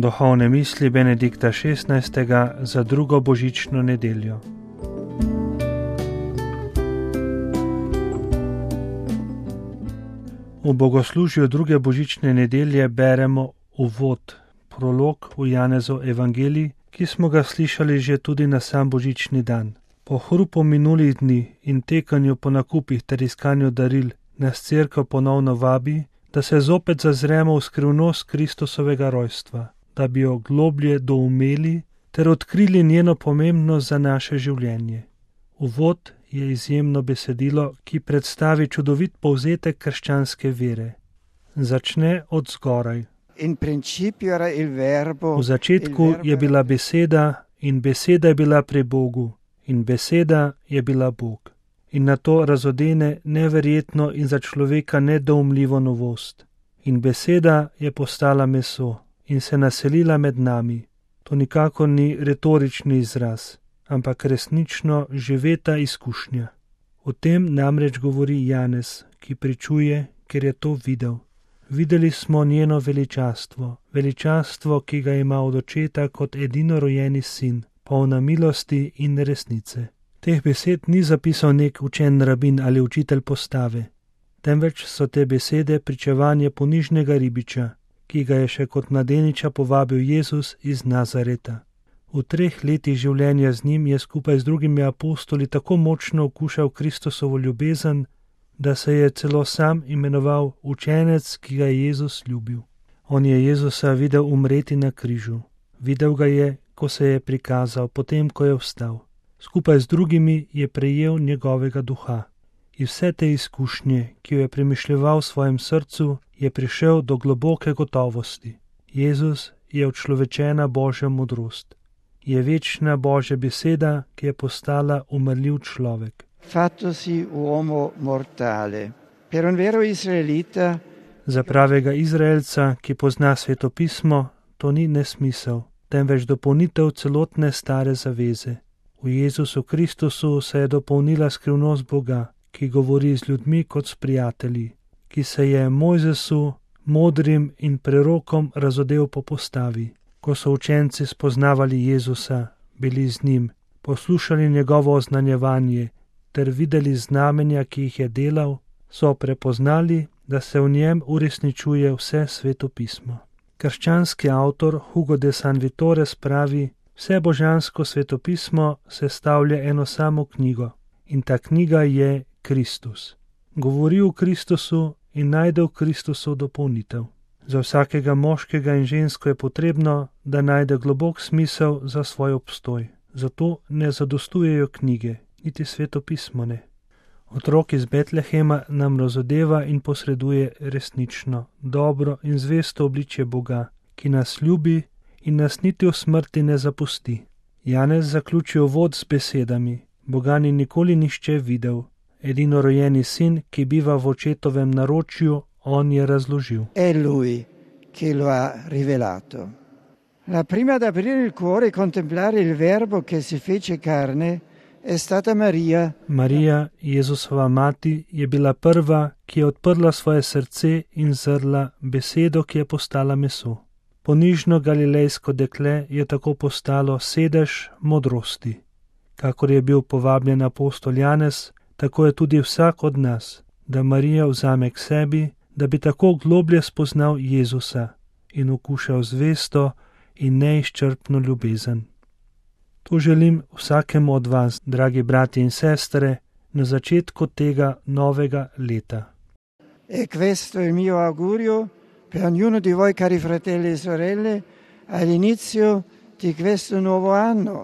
Duhovne misli Benedikta XVI. Za drugo božično nedeljo. V bogoslužju druge božične nedelje beremo uvod, prolog v Janezov evangelij, ki smo ga slišali že tudi na sam božični dan. Po hrupu minulih dni in tekanju po nakupih ter iskanju daril nas Cerkev ponovno vabi, da se zopet zazremo v skrivnost Kristusovega rojstva, da bi jo globlje doumeli ter odkrili njeno pomembnost za naše življenje. Uvod je izjemno besedilo, ki predstavi čudovit povzetek krščanske vere. Začne od zgoraj. V začetku je bila beseda in beseda je bila pri Bogu in beseda je bila Bog. In na to razodene neverjetno in za človeka nedoumljivo novost. In beseda je postala meso in se naselila med nami. To nikakor ni retorični izraz, ampak resnično živeta izkušnja. O tem namreč govori Janez, ki pričuje, ker je to videl. Videli smo njeno veličastvo, ki ga ima od očeta kot edinorojenji sin, polna milosti in resnice. Teh besed ni zapisal nek učen rabin ali učitelj postave, temveč so te besede pričevanje ponižnega ribiča, ki ga je še kot mladeniča povabil Jezus iz Nazareta. V 3 letih življenja z njim je skupaj z drugimi apostoli tako močno okušal Kristusovo ljubezen, da se je celo sam imenoval učenec, ki ga je Jezus ljubil. On je Jezusa videl umreti na križu. Videl ga je, ko se je prikazal, potem, ko je vstal. Skupaj z drugimi je prejel njegovega duha. Iz vse te izkušnje, ki jo je premišljeval v svojem srcu, je prišel do globoke gotovosti. Jezus je učlovečena Božja modrost. Je večna Božja beseda, ki je postala umrljiv človek. Fattosi uomo mortale. Per un vero israelita, za pravega Izraelca, ki pozna svetopismo, to ni nesmisel, temveč dopolnitev celotne stare zaveze. V Jezusu Kristusu se je dopolnila skrivnost Boga, ki govori z ljudmi kot s prijatelji, ki se je Mojzesu, modrim in prerokom razodel po postavi. Ko so učenci spoznavali Jezusa, bili z njim, poslušali njegovo oznanjevanje ter videli znamenja, ki jih je delal, so prepoznali, da se v njem uresničuje vse svetopismo. Krščanski avtor Hugo de San Vitores pravi, vse božansko svetopismo sestavlja eno samo knjigo in ta knjiga je Kristus. Govori o Kristusu in najde v Kristusu dopolnitev. Za vsakega moškega in žensko je potrebno, da najde globok smisel za svoj obstoj. Zato ne zadostujejo knjige, niti svetopismo ne. Otrok iz Betlehema nam razodeva in posreduje resnično, dobro in zvesto obličje Boga, ki nas ljubi in nas niti v smrti ne zapusti. Janez zaključi uvod z besedami: Boga ni nikoli nihče videl, edinorojeni sin, ki biva v očetovem naročju, on je razložil. È lui che lo ha rivelato. La prima ad aprire il cuore e contemplare il verbo che si fece carne è stata Maria. Marija, Jezusova mati, je bila prva, ki je odprla svoje srce in zrla besedo, ki je postala meso. Ponižno galilejsko dekle je tako postalo sedež modrosti. Kakor je bil povabljen apostol Janez, tako je tudi vsak od nas, da Marija vzame k sebi, da bi tako globlje spoznal Jezusa in okušal zvesto in neizčrpno ljubezen. To želim vsakemu od vas, dragi brati in sestre, na začetku tega novega leta. E questo è il mio augurio per ognuno di voi, cari fratelli e sorelle, all'inizio di questo nuovo anno.